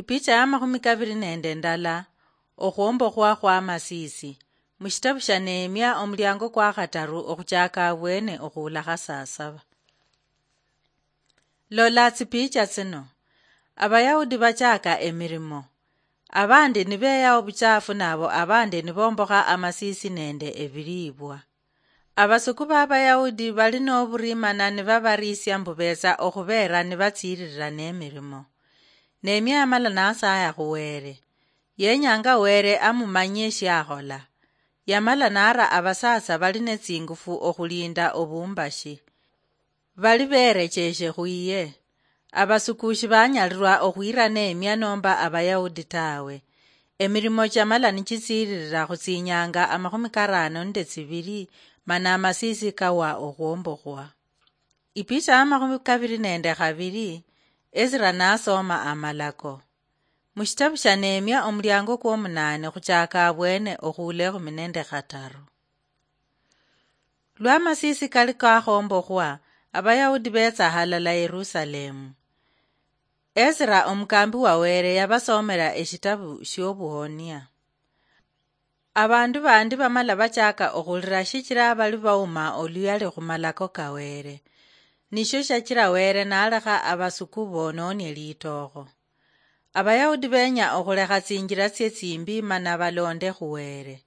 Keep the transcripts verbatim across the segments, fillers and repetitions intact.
Ipicha ya makhumi kaviri nende ndala. Okhwombokhwa khwa Masisi. Mushitabu sha Nehemia, omuliango kwa khataru, okhuchaka abwene okhuulakha saa saba. Lola tsipicha tsino. Abayahudi bachaka emirimo. Abandi nibeya obuchafu, nabo abandi nibombokha amasisi nende ebiribwa. Abasuku b'Abayahudi bali n'oburimana nibabarisia mbu betsa okhubeera nibatsiiririra n'emirimo. Nehemia yamala nasaya khu Were. Yenyanga Were amumanyie shiakhola. Yamala nara abasatsa bali netsingufu okhulinda obumbashi. Bali berecheshe khwiye. Abasuku shibanyalirwa okhwira Nehemia nomba Abayahudi tawe. Emirimo chamala nichitsiririra khutsinyanga amakhumi karano nende tsibiri, mana amasisi kawa okhwombokhwa. Ipicha ya makhumi kaviri nende khaviri, Ezra nasoma amalako. Mushitabu sha Nehemia, omuliango kwomunane khuchaka abwene okhuula ekhumi nende khataru. Lwa amasisi kali kakhombokhwa, Abayahudi betsa halala Yerusalemu. Ezra omukambi wa Were yabasomera eshitabu shiobuhonia. Abandu bandi bamala bachaka okhulira shichira bali bauma oluyali khumalako ka Were. Nisho shachira Were nalekha abasuku bononie litookho. Abayahudi benya okhulekha tsinjira tsie tsimbi mana balonde khu Were.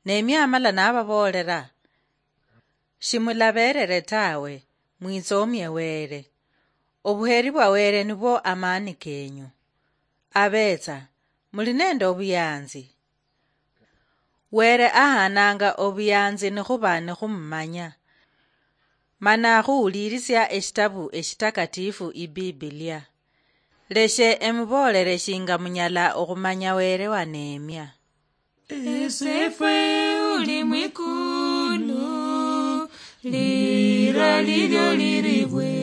Nehemia amala nababoolera, "Shimulaberere tawe, mwitsomie Were. Obuheri bwa Were nibwo amani kenyu. Abetsa, muli nende obuyanzi." Were ahananga obuyanzi nikhuba nikhumumanya, mana khuwulirisia eshitabu eshitakatifu, Ibibilia. Leshe emuboolere shinga munyala okhumanya Were wa Nehemia. Esefwe uli mwikulu, lira lilyo liribwe.